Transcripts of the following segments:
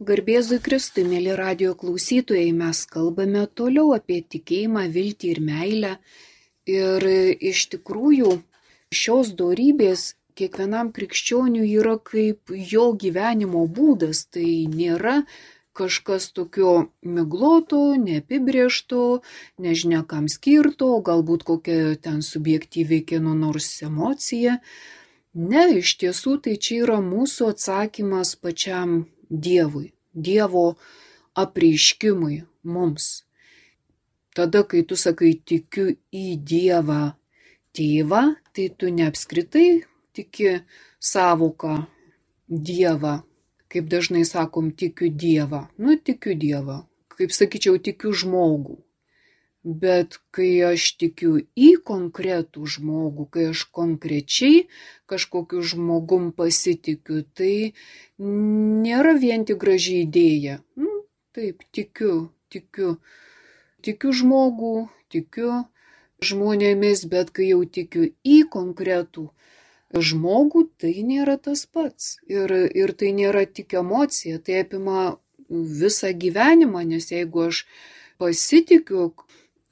Garbėzui Kristui, mėly radijo klausytojai, mes kalbame toliau apie tikėjimą, viltį ir meilę. Ir iš tikrųjų šios dorybės kiekvienam krikščioniui yra kaip jo gyvenimo būdas. Tai nėra kažkas tokio migloto, neapibrėžto, nežinia kam skirto, galbūt kokia ten subjektyviai kieno nors emocija. Ne, iš tiesų tai čia yra mūsų atsakymas pačiam Dievui, Dievo apreiškimui mums. Tada, kai tu sakai tikiu į Dievą tėvą, tai tu neapskritai tiki savoką Dievą, kaip dažnai sakom tikiu Dievą. Tikiu Dievą, kaip sakyčiau, tikiu žmogų. Bet kai aš tikiu į konkretų žmogų, kai aš konkrečiai kažkokiu žmogum pasitikiu, tai nėra vien tik graži idėja. Taip, tikiu žmogų, tikiu žmonėmis, bet kai jau tikiu į konkretų žmogų, tai nėra tas pats. Ir tai nėra tik emocija, tai apima visą gyvenimą, nes jeigu aš pasitikiu,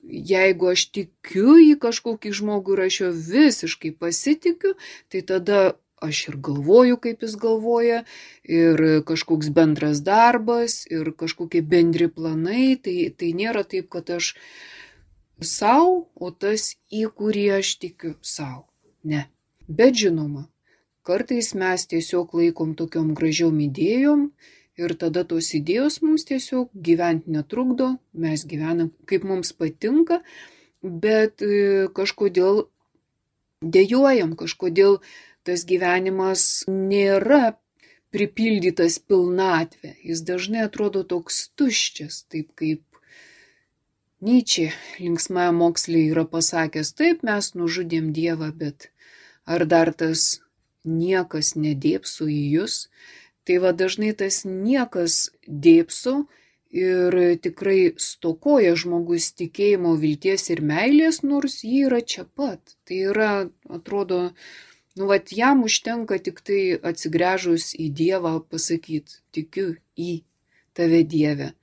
jeigu aš tikiu į kažkokį žmogų ir aš jo visiškai pasitikiu, tai tada aš ir galvoju, kaip jis galvoja, ir kažkoks bendras darbas, ir kažkokie bendri planai, tai nėra taip, kad aš savo, o tas, į kurį aš tikiu savo. Ne. Bet žinoma, kartais mes tiesiog laikom tokiom gražiom idėjom, ir tada tos idėjos mums tiesiog gyventi netrukdo, mes gyvenam kaip mums patinka, bet kažkodėl dejuojam, kažkodėl tas gyvenimas nėra pripildytas pilnatvė. Jis dažnai atrodo toks tuščias, taip kaip Nyčė linksmajam moksle yra pasakęs, taip mes nužudėm Dievą, bet ar dar tas niekas nedėpso į jus? Tai va dažnai tas niekas dėpso ir tikrai stokoja žmogus tikėjimo, vilties ir meilės, nors jį yra čia pat. Tai yra, atrodo, jam užtenka tik tai atsigręžus į Dievą pasakyti, tikiu į tave Dieve,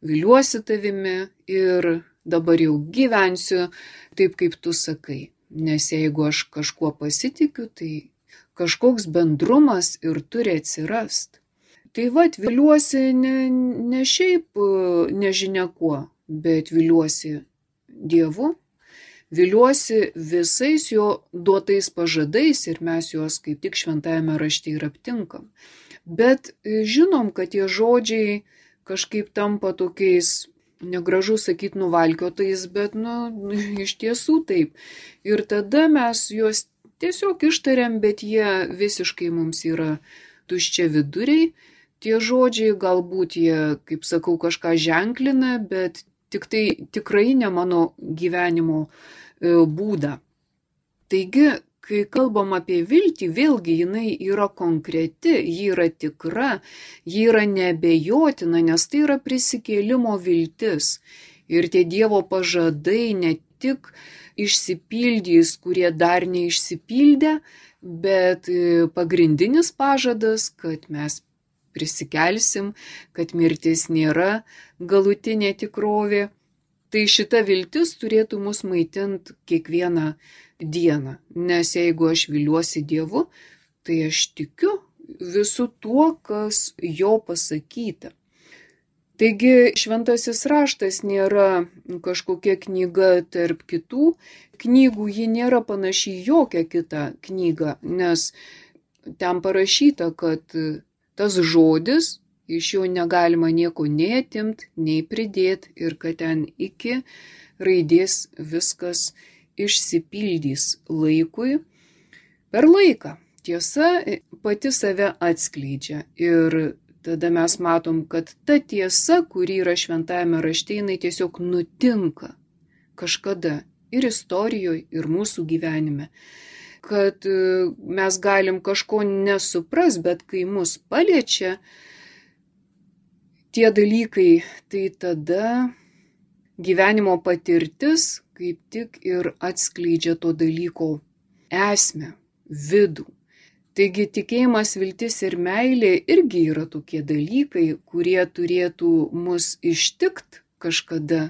viliuosi tavimi ir dabar jau gyvensiu taip, kaip tu sakai. Nes jeigu aš kažkuo pasitikiu, tai kažkoks bendrumas ir turi atsirast. Tai viliuosi ne šiaip nežinia kuo, bet viliuosi Dievu, viliuosi visais jo duotais pažadais ir mes juos kaip tik šventajame rašte ir aptinkam. Bet žinom, kad tie žodžiai kažkaip tampa tokiais, negražu sakyti nuvalkiotais, bet iš tiesų taip. Ir tada mes juos tiesiog ištariam, bet jie visiškai mums yra tuščia viduriai. Tie žodžiai galbūt jie, kaip sakau, kažką ženklina, bet tikrai ne mano gyvenimo būdą. Taigi, kai kalbam apie viltį, vėlgi jinai yra konkreti, ji yra tikra, ji yra neabejotina, nes tai yra prisikėlimo viltis. Ir tie Dievo pažadai ne tik išsipildys, kurie dar neišsipildė, bet pagrindinis pažadas, kad mes prisikelsim, kad mirtis nėra galutinė tikrovė. Tai šita viltis turėtų mus maitinti kiekvieną dieną, nes jeigu aš viliuosi Dievu, tai aš tikiu visu tuo, kas jo pasakyta. Taigi šventasis raštas nėra kažkokia knyga tarp kitų knygų, ji nėra panaši į jokią kitą knygą, nes ten parašyta, kad tas žodis, iš jo negalima nieko nei atimti, nei pridėti ir kad ten iki raidės viskas išsipildys laikui per laiką. Tiesa pati save atskleidžia ir tada mes matom, kad ta tiesa, kuri yra šventajame rašte, jinai tiesiog nutinka kažkada ir istorijoje, ir mūsų gyvenime. Kad mes galim kažko nesupras, bet kai mus paliečia tie dalykai, tai tada gyvenimo patirtis kaip tik ir atskleidžia to dalyko esmę, vidų. Taigi tikėjimas, viltis ir meilė irgi yra tokie dalykai, kurie turėtų mus ištikt kažkada.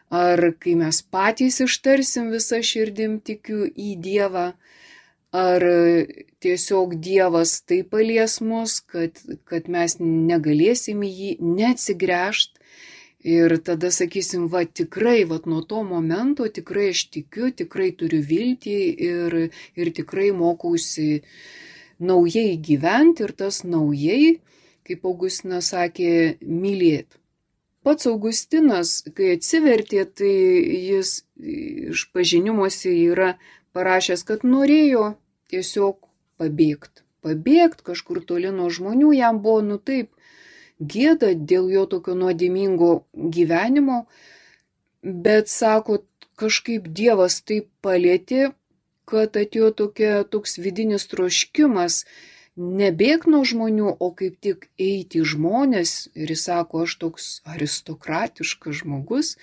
Ar kai mes patys ištarsim visą širdim tikiu į Dievą, ar tiesiog Dievas taip palies mus, kad mes negalėsim į jį neatsigręžt. Ir tada sakysim, va tikrai, va nuo to momento tikrai aš tikiu, tikrai turiu viltį ir tikrai mokausi naujai gyventi ir tas naujai, kaip Augustinas sakė, mylėti. Pats Augustinas, kai atsivertė, tai jis išpažinimuose yra parašęs, kad norėjo tiesiog pabėgt kažkur toli nuo žmonių, jam buvo taip gėda dėl jo tokio nuodėmingo gyvenimo, bet sako, kažkaip Dievas taip palėtė, kad atėjo toks vidinis troškimas nebėg nuo žmonių, o kaip tik eiti į žmonės. Ir jis sako, aš toks aristokratiškas žmogus,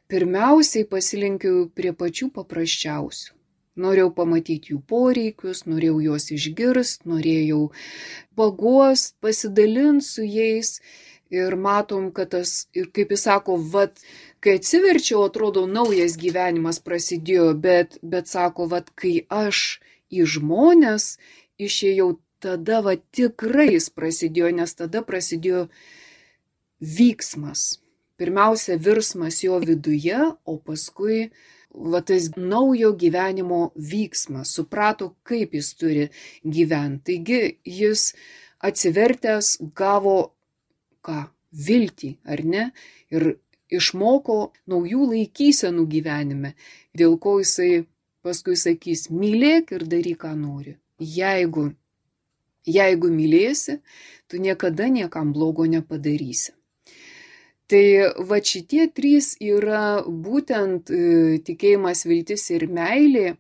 pirmiausiai pasilenkiau prie pačių paprasčiausių. Norėjau pamatyti jų poreikius, norėjau juos išgirst, norėjau paguost, pasidalinti su jais. Ir matom, kad tas, ir kaip jis sako, kai atsiverčiau, atrodo, naujas gyvenimas prasidėjo, bet sako, kai aš į žmonės išėjau, tada tikrai jis prasidėjo, nes tada prasidėjo vyksmas. Pirmiausia, virsmas jo viduje, o paskui tas naujo gyvenimo vyksmas, suprato, kaip jis turi gyventi. Taigi jis atsivertęs gavo viltį, ar ne? Ir išmoko naujų laikysenų gyvenime, dėl ko jisai paskui sakys, mylėk ir daryk, ką nori. Jeigu mylėsi, tu niekada niekam blogo nepadarysi. Tai šitie trys yra būtent tikėjimas, viltis ir meilė,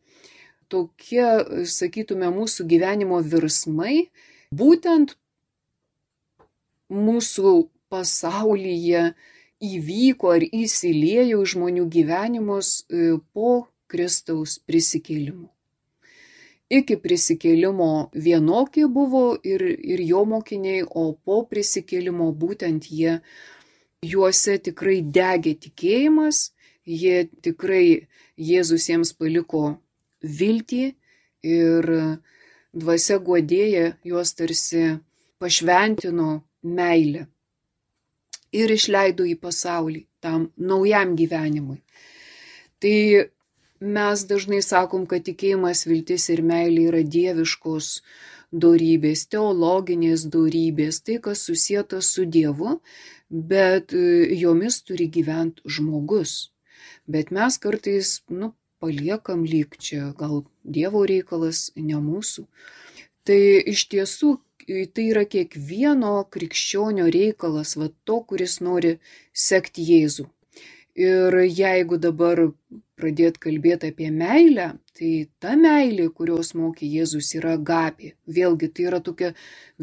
tokie, sakytume, mūsų gyvenimo virsmai, būtent mūsų pasaulyje įvyko ar įsiliejo į žmonių gyvenimus po Kristaus prisikėlimo. Iki prisikėlimo vienokie buvo ir jo mokiniai, o po prisikėlimo būtent juose tikrai degė tikėjimas, jie tikrai Jėzus jiems paliko viltį ir dvasia guodėja juos tarsi pašventino meilę ir išleido į pasaulį tam naujam gyvenimui. Tai mes dažnai sakom, kad tikėjimas, viltis ir meilė yra dieviškos dorybės, teologinės dorybės, tai kas susieta su Dievu, bet jomis turi gyventi žmogus. Bet mes kartais, paliekam lyg čia, gal Dievo reikalas, ne mūsų. Tai iš tiesų, tai yra kiekvieno krikščionio reikalas, to, kuris nori sekti Jėzų. Ir jeigu dabar pradėt kalbėti apie meilę, tai ta meilė, kurios mokė Jėzus, yra agapė. Vėlgi, tai yra tokia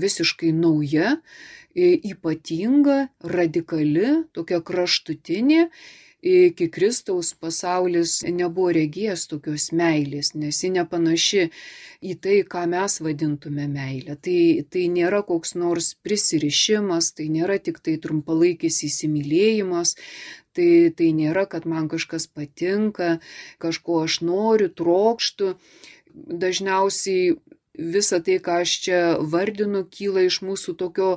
visiškai nauja, ypatinga, radikali, tokia kraštutinė. Iki Kristaus pasaulis nebuvo regėjęs tokios meilės, nes ji nepanaši į tai, ką mes vadintume meilę. Tai nėra koks nors prisirišimas, tai nėra tik tai trumpalaikis įsimylėjimas, tai nėra, kad man kažkas patinka, kažko aš noriu, trokštu. Dažniausiai visa tai, ką aš čia vardinu, kyla iš mūsų tokio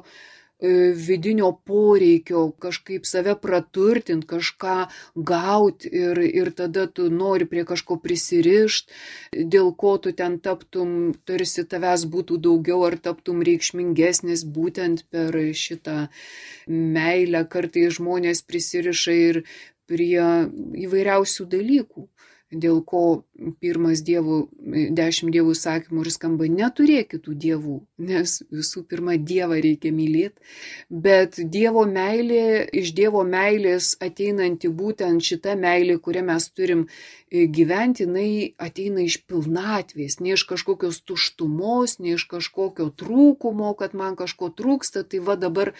vidinio poreikio kažkaip save praturtinti, kažką gauti ir tada tu nori prie kažko prisirišti, dėl ko tu ten taptum, tarsi tavęs būtų daugiau ar taptum reikšmingesnis būtent per šitą meilę. Kartais žmonės prisiriša ir prie įvairiausių dalykų, dėl ko pirmas 10 dievų įsakymų ir skamba neturėk kitų dievų, nes visų pirma Dievą reikia mylėti, bet Dievo meilė, iš Dievo meilės ateinanti būtent šita meilė, kurią mes turim gyventi, jinai ateina iš pilnatvės, ne iš kažkokios tuštumos, ne iš kažkokio trūkumo, kad man kažko trūksta, tai dabar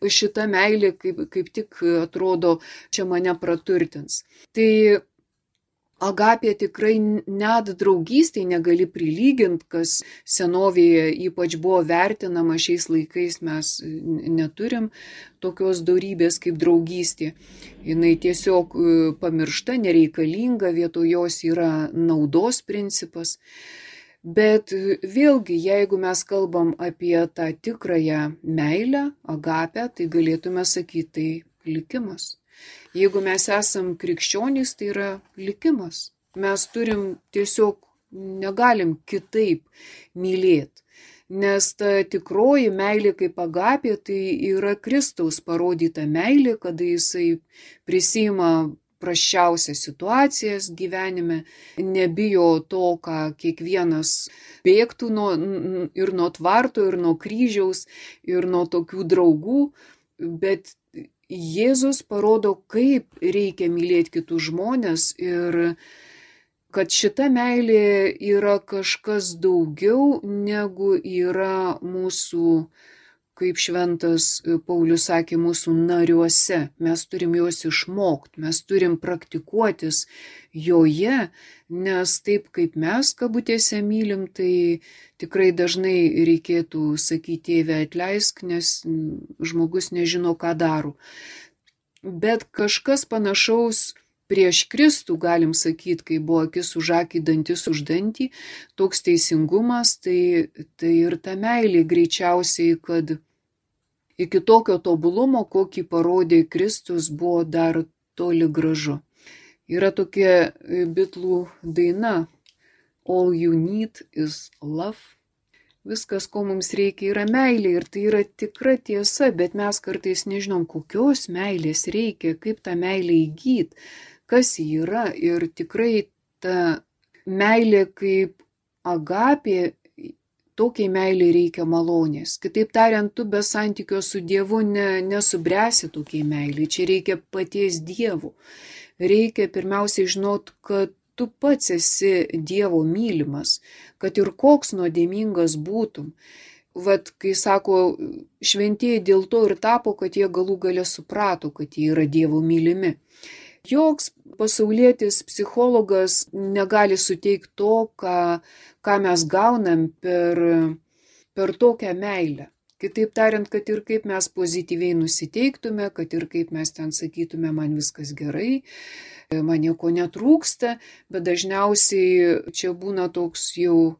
šita meilė kaip tik atrodo čia mane praturtins. Tai Agapė tikrai net draugystėj negali prilyginti, kas senovėje ypač buvo vertinama, šiais laikais mes neturim tokios dorybės kaip draugystė. Jinai tiesiog pamiršta, nereikalinga, vietoj jos yra naudos principas. Bet vėlgi, jeigu mes kalbam apie tą tikrąją meilę, agapę, tai galėtume sakyti, tai likimas. Jeigu mes esam krikščionys, tai yra likimas. Mes tiesiog negalim kitaip mylėti. Nes ta tikroji meilė kaip agapė, tai yra Kristaus parodyta meilė, kada jisai prisima prasčiausias situacijas gyvenime, nebijo to, ką kiekvienas bėgtų ir nuo tvarto, ir nuo kryžiaus, ir nuo tokių draugų, bet Jėzus parodo, kaip reikia mylėti kitus žmonės ir kad šita meilė yra kažkas daugiau negu yra mūsų, kaip šventas Paulius sakė, mūsų nariuose. Mes turim juos išmokti, mes turim praktikuotis joje, nes taip kaip mes kabutėse mylim, tai tikrai dažnai reikėtų sakyti, Tėve atleisk, nes žmogus nežino, ką daro. Bet kažkas panašaus prieš Kristų, galim sakyti, kai buvo akis už akį, dantis už dantį, toks teisingumas, tai ir ta meilė greičiausiai, kad iki tokio tobulumo, kokį parodė Kristus, buvo dar toli gražu. Yra tokia Bitlų daina All you need is love. Viskas, ko mums reikia, yra meilė ir tai yra tikra tiesa, bet mes kartais nežinom, kokios meilės reikia, kaip tą meilę įgyti, kas ji yra. Ir tikrai ta meilė kaip agapė, tokiai meiliai reikia malonės. Kitaip tariant, tu be santykio su Dievu nesubręsi tokiai meiliai. Čia reikia paties Dievo. Reikia pirmiausiai žinot, kad tu pats esi Dievo mylimas, kad ir koks nuodėmingas būtum. Vat, kai sako, šventieji dėl to ir tapo, kad jie galų gale suprato, kad jie yra Dievo mylimi. Joks pasaulietis psichologas negali suteikti to, ką mes gaunam per tokią meilę. Kitaip tariant, kad ir kaip mes pozityviai nusiteiktume, kad ir kaip mes ten sakytume, man viskas gerai, man nieko netrūksta, bet dažniausiai čia būna toks jau,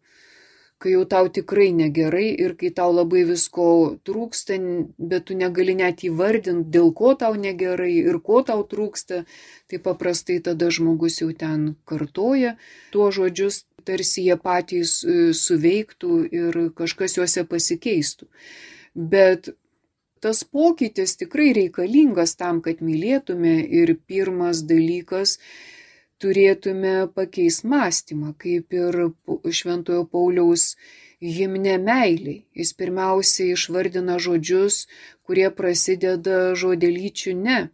kai jau tau tikrai negerai ir kai tau labai visko trūksta, bet tu negali net įvardinti, dėl ko tau negerai ir ko tau trūksta, tai paprastai tada žmogus jau ten kartoja tuos žodžius, tarsi jie patys suveiktų ir kažkas juose pasikeistų. Bet tas pokytis tikrai reikalingas tam, kad mylėtume ir pirmas dalykas, turėtume pakeisti mąstymą, kaip ir Šventojo Pauliaus himne meiliai. Jis pirmiausiai išvardina žodžius, kurie prasideda žodelyčiu ne.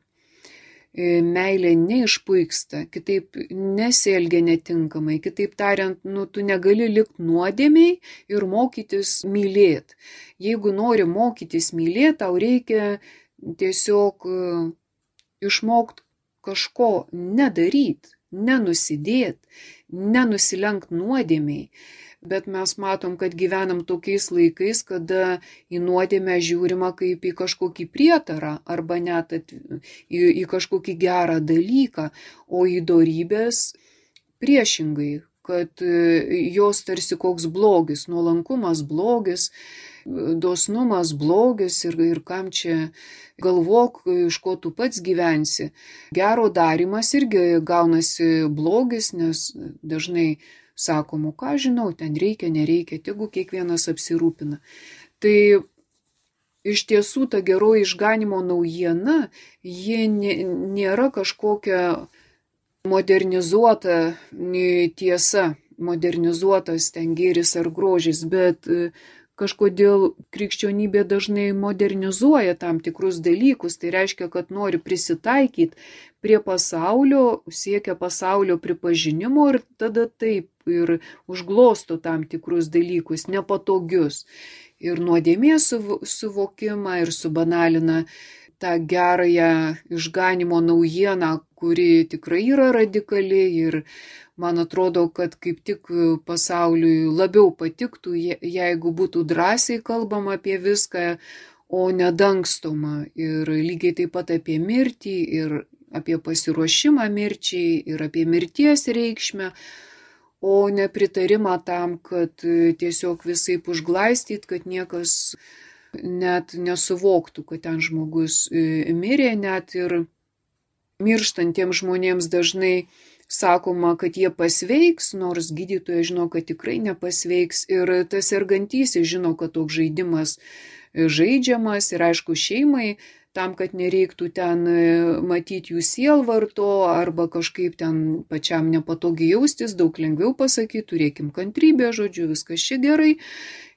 Meilė neišpuiksta, kitaip nesielgia netinkamai, kitaip tariant, tu negali likti nuodėmiai ir mokytis mylėti. Jeigu nori mokytis mylėti, tau reikia tiesiog išmokti kažko nedaryti, nenusidėti, nenusilenkt nuodėmiai. Bet mes matom, kad gyvenam tokiais laikais, kada į nuodėmę žiūrima kaip į kažkokį prietarą arba net į kažkokį gerą dalyką, o į dorybės priešingai, kad jos tarsi koks blogis, nuolankumas blogis, dosnumas blogis ir kam čia galvok, iš ko tu pats gyvensi. Gero darymas irgi gaunasi blogis, nes dažnai sakomu, ką žinau, ten reikia, nereikia, tegu kiekvienas apsirūpina. Tai iš tiesų ta geroji išganimo naujiena, ji nėra kažkokia modernizuota tiesa, modernizuotas ten gėris ar grožis, bet kažkodėl krikščionybė dažnai modernizuoja tam tikrus dalykus, tai reiškia, kad nori prisitaikyti prie pasaulio, siekia pasaulio pripažinimo ir tada taip ir užglosto tam tikrus dalykus, nepatogius. Ir nuodėmės suvokimą ir subanalina tą gerąją išganimo naujieną, kuri tikrai yra radikali ir man atrodo, kad kaip tik pasauliui labiau patiktų, jeigu būtų drąsiai kalbama apie viską, o nedangstoma. Ir lygiai taip pat apie mirtį, ir apie pasiruošimą mirčiai, ir apie mirties reikšmę, o nepritarimą tam, kad tiesiog visaip užglaistyt, kad niekas net nesuvoktų, kad ten žmogus mirė, net ir mirštantiems žmonėms dažnai sakoma, kad jie pasveiks, nors gydytojas žino, kad tikrai nepasveiks, ir tas sergantysis žino, kad toks žaidimas žaidžiamas, ir aišku šeimai, tam, kad nereiktų ten matyti jų sielvarto arba kažkaip ten pačiam nepatogiai jaustis, daug lengviau pasakyti, turėkim kantrybę, žodžiu, viskas čia gerai.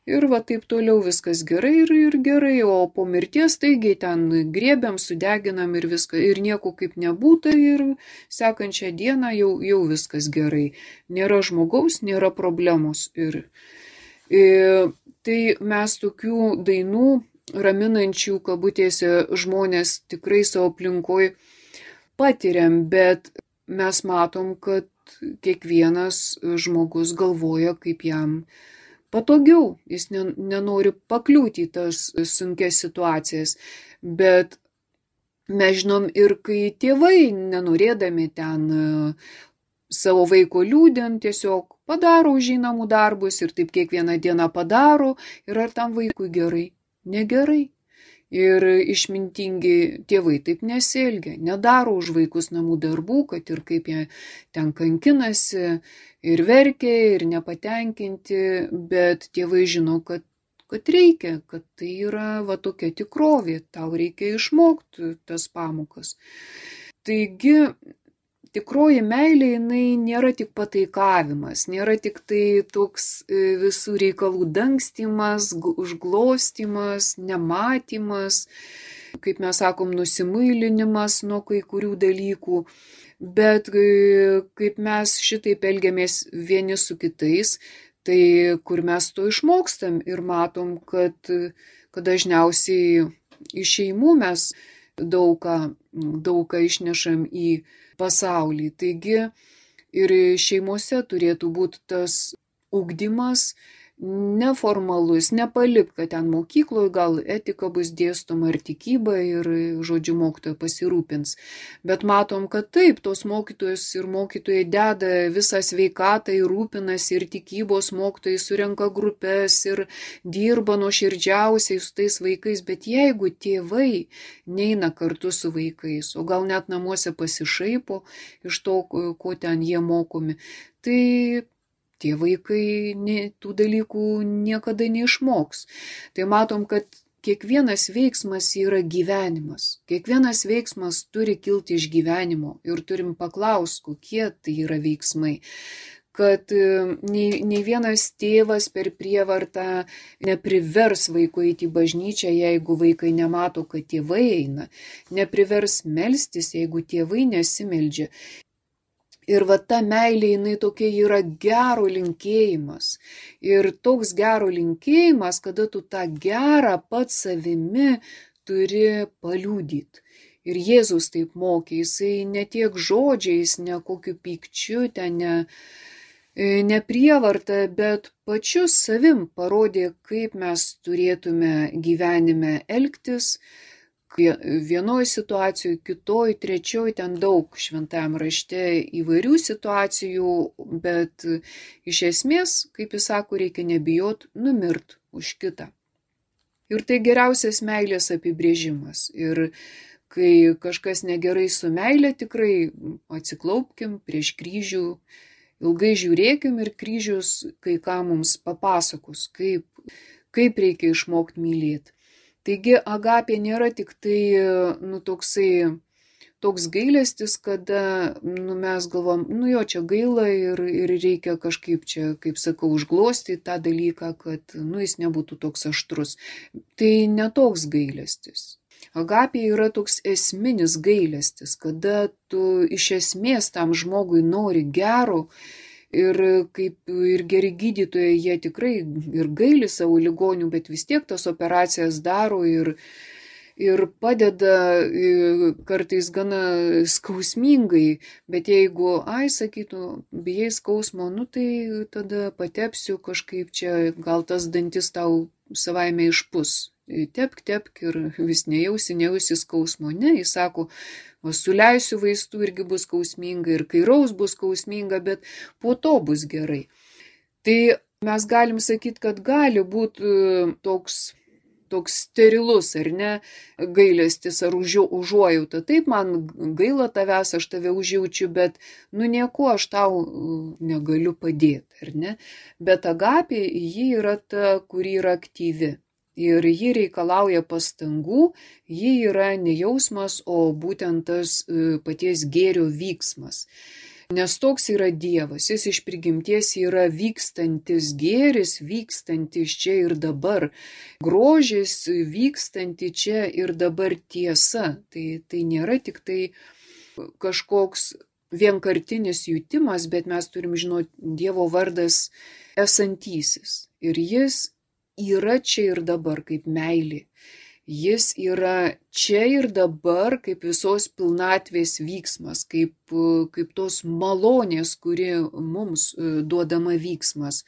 Ir va taip toliau viskas gerai ir gerai, o po mirties taigiai ten griebiam, sudeginam ir viską, ir nieko kaip nebūta, ir sekančią dieną jau viskas gerai. Nėra žmogaus, nėra problemos. Tai mes tokių dainų raminančių kabutėse žmonės tikrai savo aplinkoj patiriam, bet mes matom, kad kiekvienas žmogus galvoja, kaip jam patogiau, jis nenori pakliūti į tas sunkias situacijas, bet mes žinom ir kai tėvai, nenorėdami ten savo vaiko liūdint, tiesiog padaro už jį namų darbus ir taip kiekvieną dieną padaro, ir ar tam vaikui gerai? Negerai. Ir išmintingi tėvai taip nesielgia, nedaro už vaikus namų darbų, kad ir kaip jie ten kankinasi, ir verkia, ir nepatenkinti, bet tėvai žino, kad reikia, kad tai yra va tokia tikrovė, tau reikia išmokti tas pamokas. Taigi, tikroji meilė, jinai nėra tik pataikavimas, nėra tik tai toks visų reikalų dangstymas, užglostymas, nematymas, kaip mes sakom, nusimuilinimas nuo kai kurių dalykų, bet kaip mes šitaip elgiamės vieni su kitais, tai kur mes to išmokstam ir matom, kad dažniausiai iš šeimų mes daug ką išnešam į pasaulį. Taigi ir šeimose turėtų būti tas ugdymas neformalus, nepalik, kad ten mokykloje gal etika bus dėstoma ar tikyba ir, žodžiu, mokytoja pasirūpins. Bet matom, kad taip, tos mokytojos ir mokytojai deda visą sveikatą ir rūpinasi, ir tikybos mokytojai surenka grupės ir dirba nuoširdžiausiai su tais vaikais, bet jeigu tėvai neina kartu su vaikais, o gal net namuose pasišaipo iš to, ko ten jie mokomi, tai tie vaikai tų dalykų niekada neišmoks. Tai matom, kad kiekvienas veiksmas yra gyvenimas. Kiekvienas veiksmas turi kilti iš gyvenimo ir turim paklausti, kokie tai yra veiksmai. Kad nei vienas tėvas per prievartą neprivers vaiko eiti į bažnyčią, jeigu vaikai nemato, kad tėvai eina. Neprivers melstis, jeigu tėvai nesimeldžia. Ir va ta meilė, jinai tokia yra gero linkėjimas. Ir toks gero linkėjimas, kada tu tą gerą pats savimi turi paliudyti. Ir Jėzus taip mokė, jisai ne tiek žodžiais, ne kokiu pykčiu, ten ne prievarta, bet pačiu savim parodė, kaip mes turėtume gyvenime elgtis. Vienoj situacijoj, kitoj, trečioj, ten daug šventajam rašte įvairių situacijų, bet iš esmės, kaip jis sako, reikia nebijot numirt už kitą. Ir tai geriausias meilės apibrėžimas. Ir kai kažkas negerai su meilė, tikrai atsiklaupkim prieš kryžių, ilgai žiūrėkim ir kryžius kai ką mums papasakos, kaip reikia išmokti mylėti. Taigi agapė nėra tik tai toks gailestis, kada mes galvom, jo čia gaila ir reikia kažkaip čia, kaip sakau, užglostyti tą dalyką, kad jis nebūtų toks aštrus. Tai ne toks gailestis. Agapė yra toks esminis gailestis, kada tu iš esmės tam žmogui nori gero. Ir kaip ir geri gydytojai, jie tikrai ir gaili savo ligonių, bet vis tiek tas operacijas daro ir ir padeda kartais gana skausmingai, bet jeigu, sakytų, bijai skausmo, tai tada patepsiu kažkaip čia, gal tas dantis tau savaime išpus. Tepk ir vis nejausi skausmo. Ne, jis sako, suleisiu vaistų irgi bus skausminga ir kairaus bus skausminga, bet po to bus gerai. Tai mes galim sakyti, kad gali būti toks sterilus, ar ne, gailestis ar užuojauta. Taip, man gaila tavęs, aš tave užjaučiu, bet nieko aš tau negaliu padėti, ar ne. Bet agapė, ji yra ta, kuri yra aktyvi. Ir ji reikalauja pastangų, ji yra ne jausmas, o būtent tas paties gėrio vyksmas. Nes toks yra Dievas, jis iš prigimties yra vykstantis gėris, vykstantis čia ir dabar, grožis vykstanti čia ir dabar tiesa. Tai nėra tik tai kažkoks vienkartinis jutimas, bet mes turim žinoti, Dievo vardas esantysis. Ir jis yra čia ir dabar kaip meilė. Jis yra čia ir dabar kaip visos pilnatvės vyksmas, kaip tos malonės, kuri mums duodama vyksmas.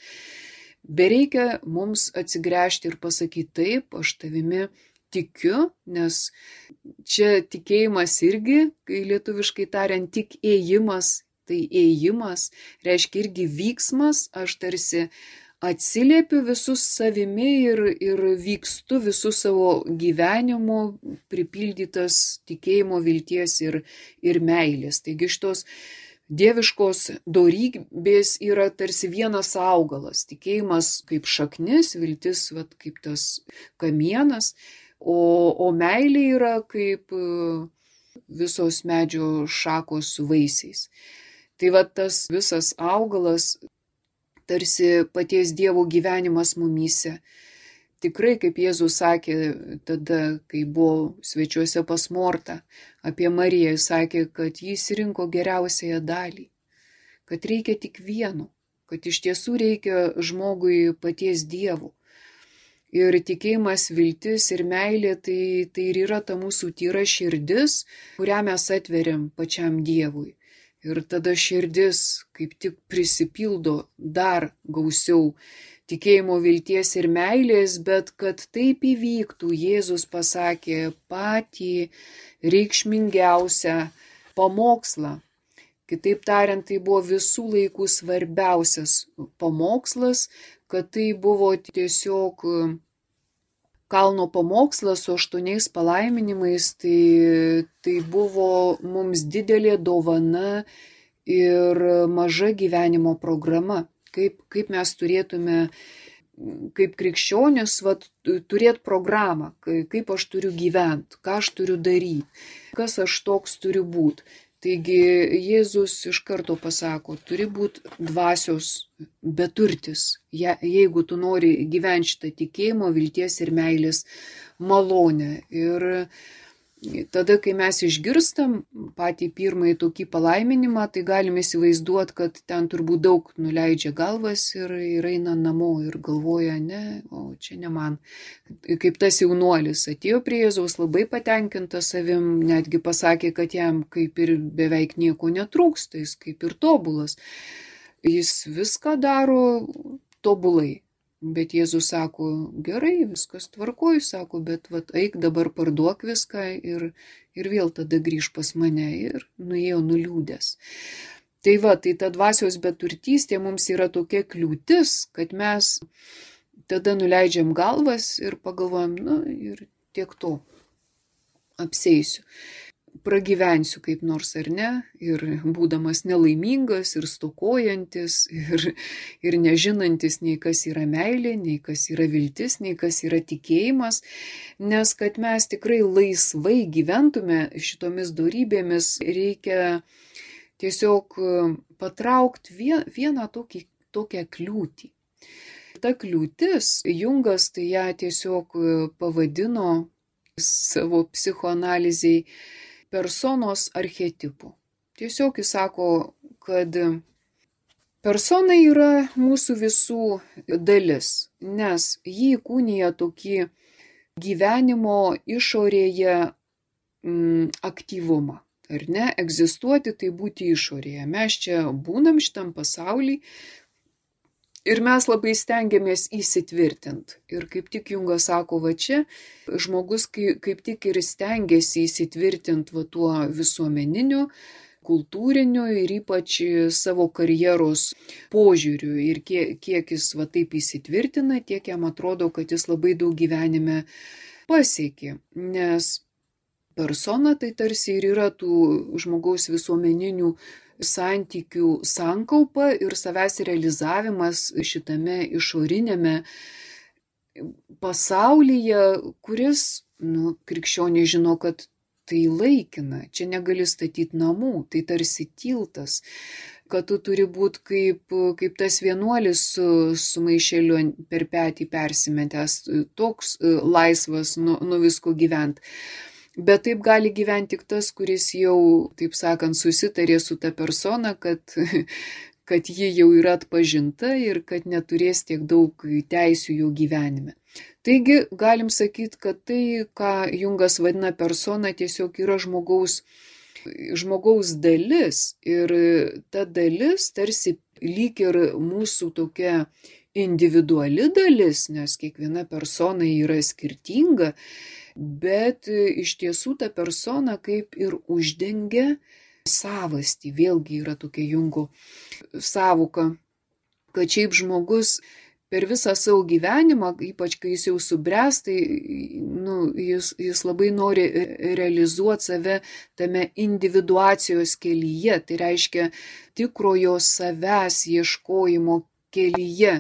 Bereikia mums atsigręžti ir pasakyti taip, aš tavimi tikiu, nes čia tikėjimas irgi, kai lietuviškai tariant, tik ėjimas, tai ėjimas reiškia irgi vyksmas, aš tarsi atsiliepiu visus savimi ir vykstu visų savo gyvenimo pripildytas tikėjimo, vilties ir meilės. Taigi šitos dieviškos dorybės yra tarsi vienas augalas. Tikėjimas kaip šaknis, viltis kaip tas kamienas, o meilė yra kaip visos medžio šakos su vaisiais. Tai tas visas augalas tarsi paties Dievo gyvenimas mumyse. Tikrai, kaip Jėzus sakė tada, kai buvo svečiuose pas Mortą, apie Mariją, jis sakė, kad jis rinko geriausiąją dalį, kad reikia tik vieno, kad iš tiesų reikia žmogui paties Dievo. Ir tikėjimas, viltis ir meilė tai ir yra ta mūsų tyra širdis, kurią mes atveriam pačiam Dievui. Ir tada širdis kaip tik prisipildo dar gausiau tikėjimo, vilties ir meilės, bet kad taip įvyktų, Jėzus pasakė patį reikšmingiausią pamokslą. Kitaip tariant, tai buvo visų laikų svarbiausias pamokslas, kad tai buvo tiesiog kalno pamokslas su 8 palaiminimais, tai buvo mums didelė dovana ir maža gyvenimo programa. Kaip mes turėtume, kaip krikščionis, turėti programą, kaip aš turiu gyventi, ką aš turiu daryti, kas aš toks turiu būti. Taigi Jėzus iš karto pasako, turi būti dvasios beturtis, jeigu tu nori gyventi šitą tikėjimo, vilties ir meilės malonę. Ir tada, kai mes išgirstam patį pirmąjį tokį palaiminimą, tai galime įsivaizduoti, kad ten turbūt daug nuleidžia galvas ir eina namo ir galvoja, ne, o čia ne man. Kaip tas jaunuolis atėjo prie Jėzaus labai patenkintas savim, netgi pasakė, kad jam kaip ir beveik nieko netrūksta, jis kaip ir tobulas. Jis viską daro tobulai. Bet Jėzus sako, gerai, viskas tvarkoj, sako, bet eik dabar parduok viską ir vėl tada grįž pas mane ir nuėjo nuliūdęs. Tai ta dvasios beturtystė mums yra tokia kliūtis, kad mes tada nuleidžiam galvas ir pagalvojam, ir tiek to, apseisiu. Pragyvensiu kaip nors ar ne, ir būdamas nelaimingas ir stokojantis, ir nežinantis nei kas yra meilė, nei kas yra viltis, nei kas yra tikėjimas, nes kad mes tikrai laisvai gyventume šitomis dorybėmis, reikia tiesiog patraukti vieną tokią kliūtį. Ta kliūtis, Jungas tai ją tiesiog pavadino savo psichoanalizei personos archetipu. Tiesiog jis sako, kad persona yra mūsų visų dalis, nes jį įkūnija tokį gyvenimo išorėje aktyvumą. Ar ne? Egzistuoti tai būti išorėje. Mes čia būnam šitam pasauly ir mes labai stengiamės įsitvirtinti. Ir kaip tik Jungas sako, va čia žmogus kaip tik ir stengiasi įsitvirtinti va tuo visuomeniniu, kultūriniu ir ypač savo karjeros požiūriu. Ir kiek jis va taip įsitvirtina, tiek jam atrodo, kad jis labai daug gyvenime pasiekė. Nes persona tai tarsi ir yra tų žmogaus visuomeninių santykių sankaupa ir savęs realizavimas šitame išorinėme pasaulyje, kuris, krikščionė žino, kad tai laikina, čia negali statyti namų, tai tarsi tiltas, kad tu turi būti kaip tas vienuolis su maišeliu per petį persimetęs, toks laisvas nuo visko gyventi. Bet taip gali gyventi tik tas, kuris jau, taip sakant, susitarė su ta persona, kad ji jau yra atpažinta ir kad neturės tiek daug teisių jų gyvenime. Taigi galim sakyti, kad tai, ką Jungas vadina persona, tiesiog yra žmogaus dalis. Ir ta dalis tarsi lyg ir mūsų tokia individuali dalis, nes kiekviena persona yra skirtinga, bet iš tiesų ta persona kaip ir uždengia savastį. Vėlgi yra tokia Jungo sąvoka, kad šiaip žmogus per visą savo gyvenimą, ypač kai jis jau subręs, tai jis labai nori realizuoti save tame individuacijos kelyje. Tai reiškia tikrojo savęs ieškojimo kelyje.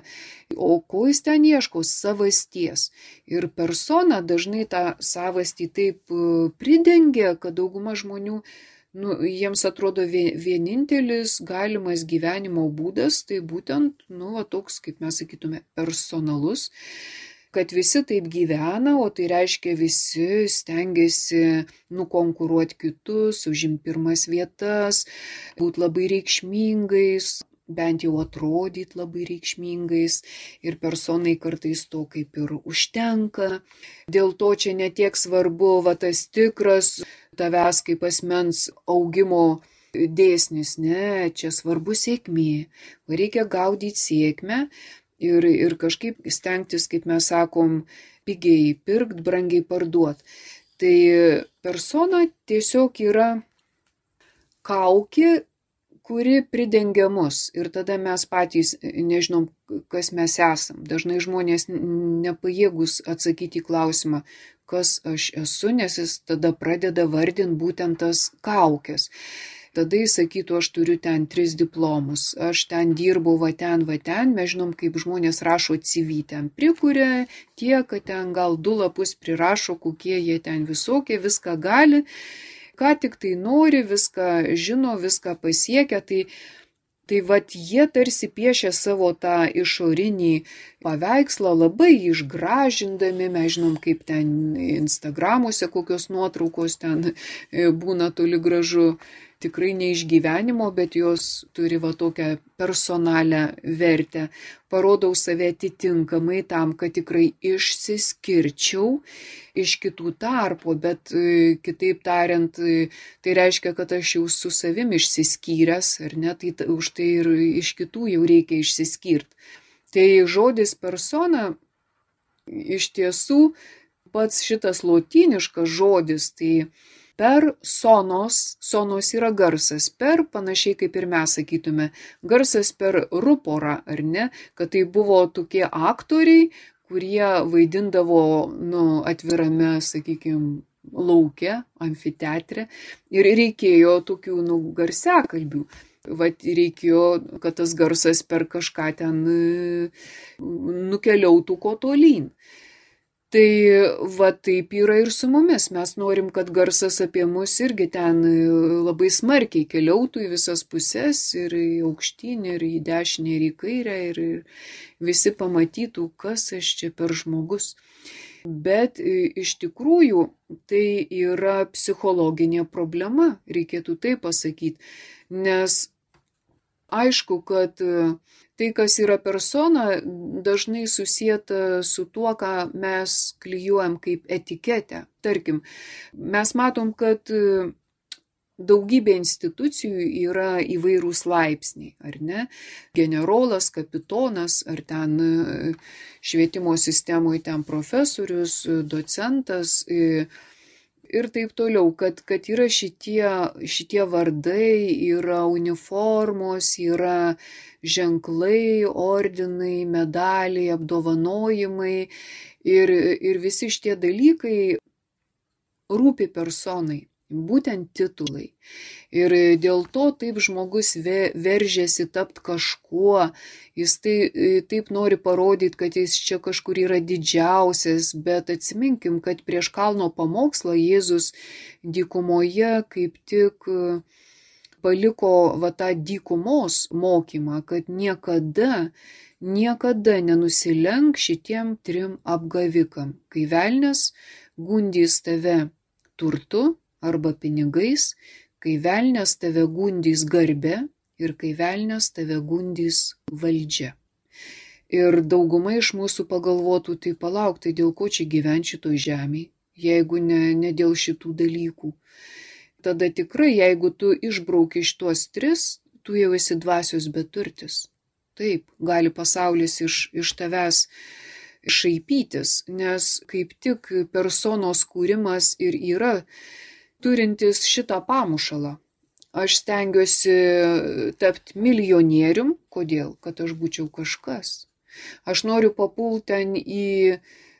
O ko jis ten ieško? Savasties. Ir persona dažnai tą savastį taip pridengia, kad dauguma žmonių, jiems atrodo vienintelis galimas gyvenimo būdas, tai būtent, toks, kaip mes sakytume, personalus, kad visi taip gyvena, o tai reiškia visi stengiasi nukonkuruoti kitus, užimti pirmas vietas, būti labai reikšmingais, bent jau atrodyti labai reikšmingais, ir personai kartais to kaip ir užtenka. Dėl to čia netiek svarbu tas tikras tavęs kaip asmens augimo dėsnis, ne, čia svarbu sėkmė. Reikia gaudyti sėkmę ir kažkaip stengtis, kaip mes sakom, pigiai pirkt, brangiai parduot. Tai persona tiesiog yra kaukė, kuri pridengia mus, ir tada mes patys nežinom, kas mes esam. Dažnai žmonės nepajėgus atsakyti į klausimą, kas aš esu, nes jis tada pradeda vardinti būtent tas kaukės. Tada jis sakytų, aš turiu ten 3 diplomus, aš ten dirbau va ten. Mes žinom, kaip žmonės rašo CV, ten prikuria tie, kad ten gal 2 lapus prirašo, kokie jie ten visokie, viską gali, ką tik tai nori, viską žino, viską pasiekia, tai jie tarsi piešia savo tą išorinį paveikslą, labai išgražindami. Mes žinom, kaip ten Instagramuose kokios nuotraukos ten būna toli gražu, tikrai ne iš gyvenimo, bet jos turi tokią personalią vertę. Parodau save atitinkamai tam, kad tikrai išsiskirčiau iš kitų tarpo, bet kitaip tariant, tai reiškia, kad aš jau su savim išsiskyręs, ar ne, tai už tai ir iš kitų jau reikia išsiskirti. Tai žodis persona iš tiesų pats šitas lotyniškas žodis, tai per sonos yra garsas, per panašiai kaip ir mes sakytume, garsas per ruporą, ar ne, kad tai buvo tokie aktoriai, kurie vaidindavo atvirame, sakykime, lauke, amfiteatre, ir reikėjo tokių garsiakalbių. Reikėjo, kad tas garsas per kažką ten nukeliautų kuo tolyn. Tai taip yra ir su mumis. Mes norim, kad garsas apie mus irgi ten labai smarkiai keliautų į visas puses, ir į aukštyn, ir į dešinę, ir į kairę, ir visi pamatytų, kas aš čia per žmogus. Bet iš tikrųjų tai yra psichologinė problema, reikėtų taip pasakyti, nes aišku, kad Tai, kas yra persona, dažnai susieta su tuo, ką mes klijuojam kaip etiketę. Tarkim, mes matom, kad daugybė institucijų yra įvairūs laipsniai, ar ne? Generolas, kapitonas, ar ten švietimo sistemoje ten profesorius, docentas ir taip toliau, kad yra šitie vardai, yra uniformos, yra ženklai, ordinai, medaliai, apdovanojimai ir visi šitie dalykai rūpi personai. Būtent titulai. Ir dėl to taip žmogus veržiasi tapti kažkuo, jis taip nori parodyti, kad jis čia kažkur yra didžiausias, bet atsiminkim, kad prieš kalno pamokslą Jėzus dykumoje kaip tik paliko tą dykumos mokymą, kad niekada nenusilenk šitiem 3 apgavikam. Kai velnias gundys tave turtu, arba pinigais, kai velnias tave gundys garbe ir kai velnias tave gundys valdžia. Ir dauguma iš mūsų pagalvotų, tai palauk, tai dėl ko čia gyventi šitoj žemėje, jeigu ne dėl šitų dalykų. Tada tikrai, jeigu tu išbrauki šitos 3, tu jau esi dvasios beturtis. Taip, gali pasaulis iš tavęs šaipytis, nes kaip tik personos kūrimas ir yra turintis šitą pamušalą. Aš stengiuosi tapti milijonierium. Kodėl? Kad aš būčiau kažkas. Aš noriu papulti ten į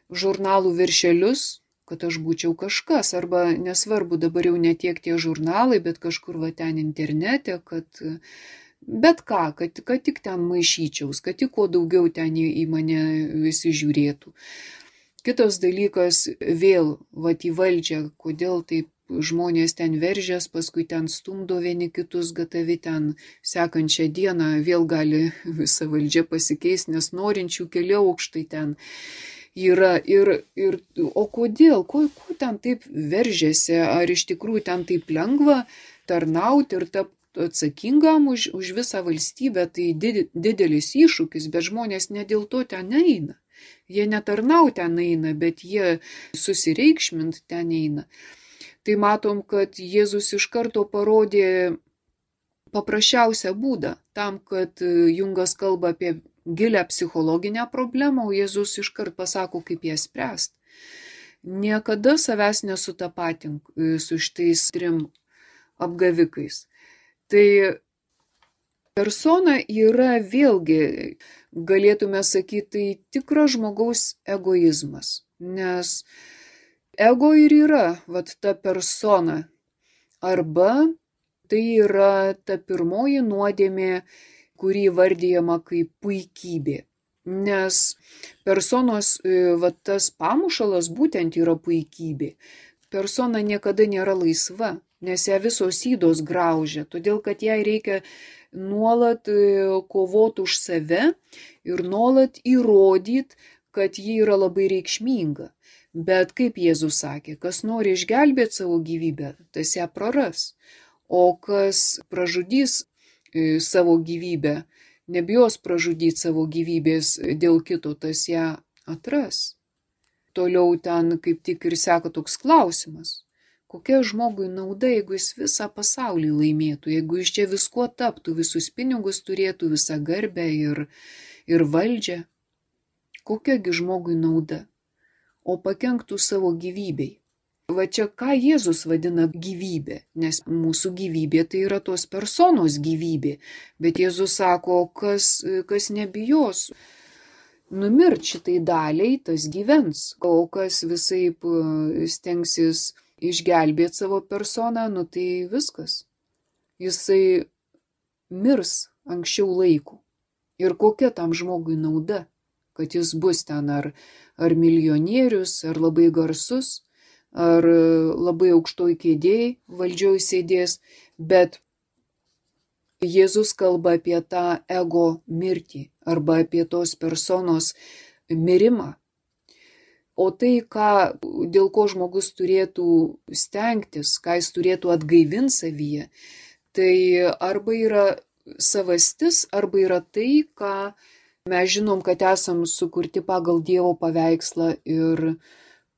žurnalų viršelius, kad aš būčiau kažkas. Arba nesvarbu, dabar jau ne tiek tie žurnalai, bet kažkur ten internete, kad bet ką, kad tik ten maišyčiaus, kad tik kuo daugiau ten į mane visi žiūrėtų. Kitas dalykas, vėl į valdžią, kodėl taip žmonės ten veržės, paskui ten stumdo vieni kitus, gatavi ten sekančią dieną vėl gali visa valdžia pasikeisti, nes norinčių keli aukštai ten yra. O kodėl? Ko ten taip veržėsi? Ar iš tikrųjų ten taip lengva tarnauti ir tapti atsakingam už visą valstybę? Tai didelis iššūkis, bet žmonės ne dėl to ten eina. Jie netarnau ten eina, bet jie susireikšmint ten eina. Tai matom, kad Jėzus iš karto parodė paprasčiausią būdą tam, kad Jungas kalba apie gilią psichologinę problemą, o Jėzus iškart pasako, kaip ją spręsti. Niekada savęs nesutapatink su šitais 3 apgavikais. Tai persona yra vėlgi, galėtume sakyti, tai tikras žmogaus egoizmas, nes ego ir yra ta persona, arba tai yra ta pirmoji nuodėmė, kuri vardijama kaip puikybė. Nes personos tas pamušalas būtent yra puikybė. Persona niekada nėra laisva, nes ją visos ydos graužia, todėl kad jai reikia nuolat kovoti už save ir nuolat įrodyti, kad ji yra labai reikšminga. Bet kaip Jėzus sakė, kas nori išgelbėti savo gyvybę, tas ją praras. O kas pražudys savo gyvybę, nebijos pražudyti savo gyvybės dėl kito, tas ją atras. Toliau ten kaip tik ir seka toks klausimas. Kokia žmogui nauda, jeigu jis visą pasaulį laimėtų, jeigu jis čia viskuo taptų, visus pinigus turėtų, visą garbę ir valdžią? Kokiagi žmogui nauda? O pakenktų savo gyvybei. Va čia ką Jėzus vadina gyvybė, nes mūsų gyvybė tai yra tos personos gyvybė, bet Jėzus sako, kas nebijos numirt šitai daliai, tas gyvens, o kas visaip stengsis išgelbėti savo personą, tai viskas. Jisai mirs anksčiau laiko. Ir kokia tam žmogui nauda, kad jis bus ten ar milijonierius, ar labai garsus, ar labai aukštoj kėdėj valdžioj sėdės, bet Jėzus kalba apie tą ego mirtį arba apie tos personos mirimą. O tai, dėl ko žmogus turėtų stengtis, ką jis turėtų atgaivinti savyje, tai arba yra savastis arba yra tai, ką mes žinom, kad esam sukurti pagal Dievo paveikslą ir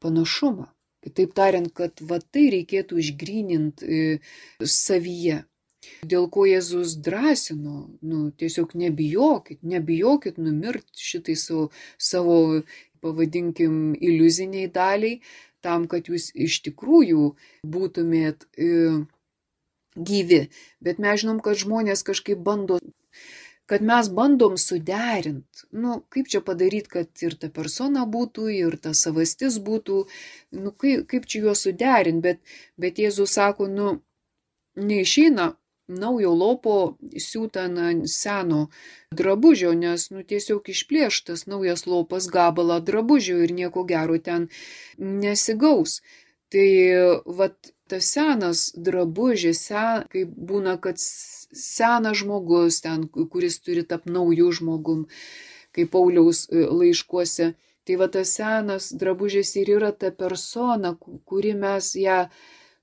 panašumą. Kitaip tariant, kad va tai reikėtų išgryninti savyje. Dėl ko Jėzus drąsino, tiesiog nebijokit numirti šitai savo, pavadinkim, iliuziniai daliai, tam, kad jūs iš tikrųjų būtumėt gyvi. Bet mes žinom, kad žmonės kažkaip kad mes bandom suderinti. Kaip čia padaryti, kad ir ta persona būtų, ir ta savastis būtų, kaip čia juos suderinti, bet Jėzus sako, neišeina naujo lopo siūta ant seno drabužio, nes tiesiog išplėštas naujas lopas gabalą drabužio ir nieko gero ten nesigaus. Tai vat tas senas drabužis, kaip būna, kad senas žmogus ten, kuris turi tapti naujų žmogum, kaip Pauliaus laiškuose, tai va tas senas drabužis ir yra ta persona, kuri mes ją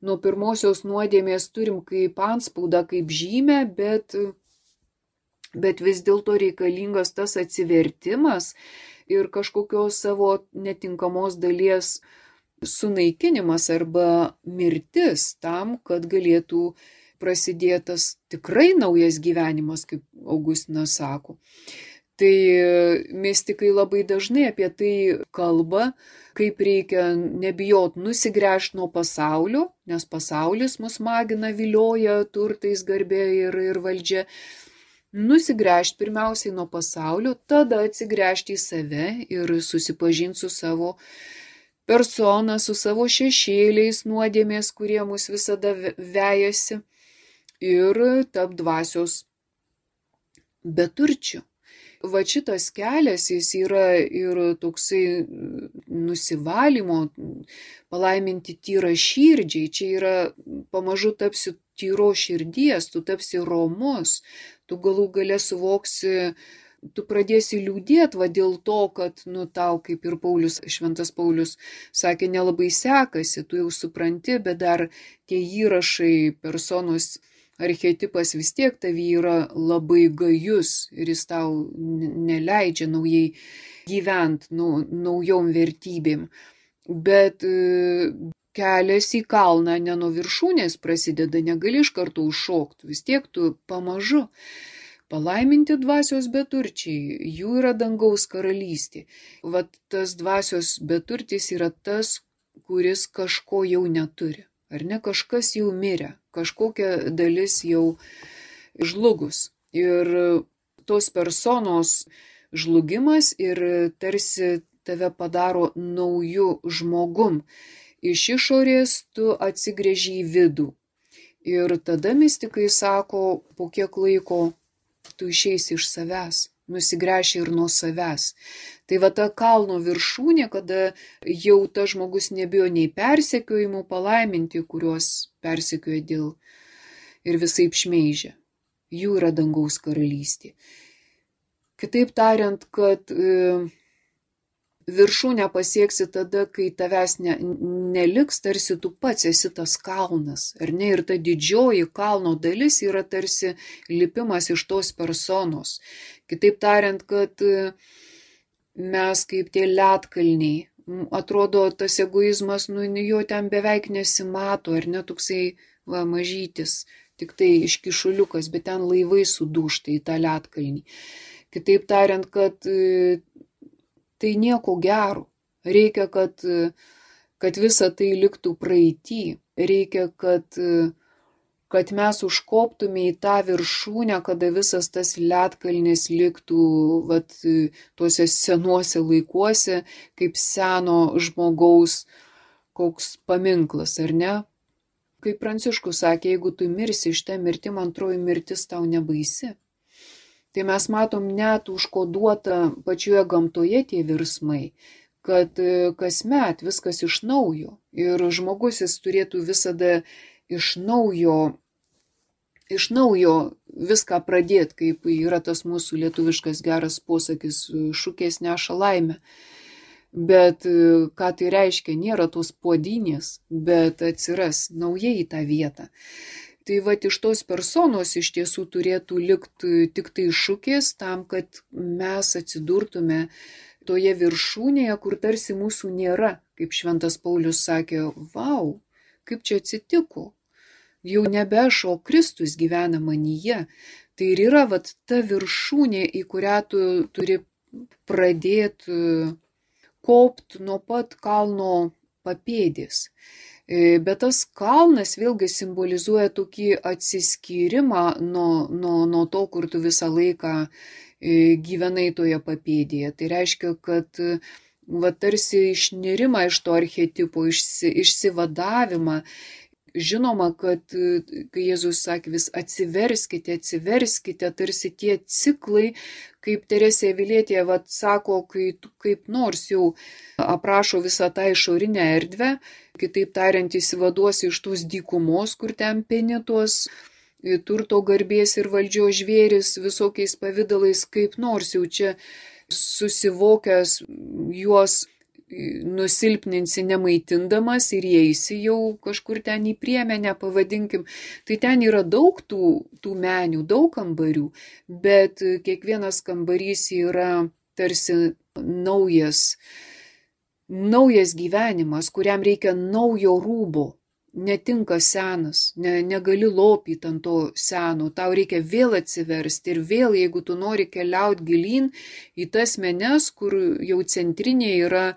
nuo pirmosios nuodėmės turim kaip antspaudą, kaip žymę, bet vis dėlto reikalingas tas atsivertimas ir kažkokios savo netinkamos dalies sunaikinimas arba mirtis tam, kad galėtų prasidėtas tikrai naujas gyvenimas, kaip Augustinas sako. Tai mistikai labai dažnai apie tai kalba, kaip reikia nebijot nusigręžti nuo pasaulio, nes pasaulis mus magina, vilioja turtais, garbė ir valdžia. Nusigręžti pirmiausiai nuo pasaulio, tada atsigręžti į save ir susipažinti su savo persona, su savo šešėliais nuodėmės, kurie mus visada vejasi, ir tap dvasios beturčių. Va šitas kelias, jis yra ir toksai nusivalymo, palaiminti tyrą širdžiai. Čia yra pamažu tapsi tyro širdies, tu tapsi romus, tu galų gale suvoksi, tu pradėsi liūdėti va dėl to, kad tau, kaip ir šventas Paulius sakė, nelabai sekasi, tu jau supranti, bet dar tie įrašai, personos archetipas vis tiek tavy yra labai gajus ir jis tau neleidžia naujai gyventi naujom vertybėm. Bet kelias į kalną ne nuo viršūnės prasideda, negali iš karto užšokti, vis tiek tu pamažu. Palaiminti dvasios beturčiai, jų yra dangaus karalystė. Vat tas dvasios beturtis yra tas, kuris kažko jau neturi. Ar ne, kažkas jau mirė, kažkokia dalis jau žlugus. Ir tos personos žlugimas ir tarsi tave padaro naujų žmogum. Iš išorės tu atsigręži į vidų. Ir tada mistikai sako, po kiek laiko tu išeisi iš savęs, nusigręši ir nuo savęs. Tai va ta kalno viršūnė, kada jau tas žmogus nebijo nei persekiojimų, palaiminti, kuriuos persekioja dėl ir visaip šmeižia. Jų yra dangaus karalystė. Kitaip tariant, kad viršūnę pasieksi tada, kai tavęs neliks, tarsi tu pats esi tas kalnas, ar ne? Ir ta didžioji kalno dalis yra tarsi lipimas iš tos personos. Kitaip tariant, kad mes kaip tie ledkalniai, atrodo tas egoizmas, jo ten beveik nesimato, ar ne, toksai mažytis, tik tai iškišuliukas, bet ten laivai sudūžta į tą ledkalnį. Kitaip tariant, kad tai nieko gero. Reikia, kad visa tai liktų praeity. Reikia, kad mes užkoptume į tą viršūnę, kada visas tas ledkalnis liktų tuose senuose laikuose, kaip seno žmogaus koks paminklas, ar ne? Kaip Pranciškus sakė, jeigu tu mirsi šitą mirtim, antroji mirtis tau nebaisi. Tai mes matom net užkoduota pačioje gamtoje tie virsmai, kad kasmet viskas iš naujo. Ir žmogus jis turėtų visada iš naujo viską pradėti, kaip yra tas mūsų lietuviškas geras posakis, šukės neša laimę. Bet ką tai reiškia, nėra tos puodynės, bet atsiras naujai į tą vietą. Tai vat iš tos personos iš tiesų turėtų likti tik tai šūkis tam, kad mes atsidurtume toje viršūnėje, kur tarsi mūsų nėra. Kaip Šventas Paulius sakė, vau, kaip čia atsitiko. Jau nebe aš, o Kristus gyvena manyje. Tai ir yra vat ta viršūnė, į kurią tu turi pradėti kopti nuo pat kalno papėdės. Bet tas kalnas vėlgi simbolizuoja tokį atsiskyrimą nuo to, kur tu visą laiką gyvenai toje papėdėje. Tai reiškia, kad tarsi išnirimą iš to archetipo, išsivadavimą. Žinoma, kad kai Jėzus sakė vis atsiverskite, tarsi tie ciklai, kaip Teresė Avilietė sako, kaip nors jau aprašo visą tą išorinę erdvę, kitaip tariant, įsivaduosi iš tos dykumos, kur ten peni tuos turto, garbės ir valdžios žvėris visokiais pavidalais, kaip nors jau čia susivokęs juos nusilpninsi nemaitindamas ir įeisi jau kažkur ten į priemenę, pavadinkim. Tai ten yra daug tų menių, daug kambarių, bet kiekvienas kambarys yra tarsi naujas gyvenimas, kuriam reikia naujo rūbo. Netinka senas, negali lopyti ant to seno, tau reikia vėl atsiversti ir vėl, jeigu tu nori keliauti gilyn į tas menes, kur jau centrinė yra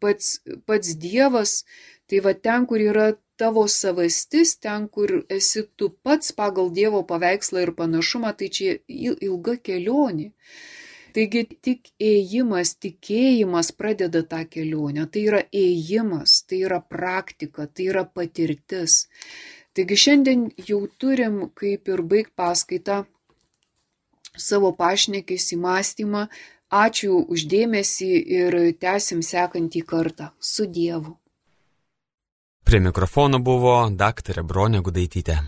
pats Dievas, tai ten, kur yra tavo savastis, ten, kur esi tu pats pagal Dievo paveikslą ir panašumą, tai čia ilga kelionė. Taigi tik ėjimas, tikėjimas pradeda tą kelionę. Tai yra ėjimas, tai yra praktika, tai yra patirtis. Taigi šiandien jau turim kaip ir baigt paskaitą savo pašnekesį, mąstymą. Ačiū už dėmesį ir tęsim sekantį kartą. Su Dievu. Prie mikrofono buvo daktarė Bronė Gudaitytė.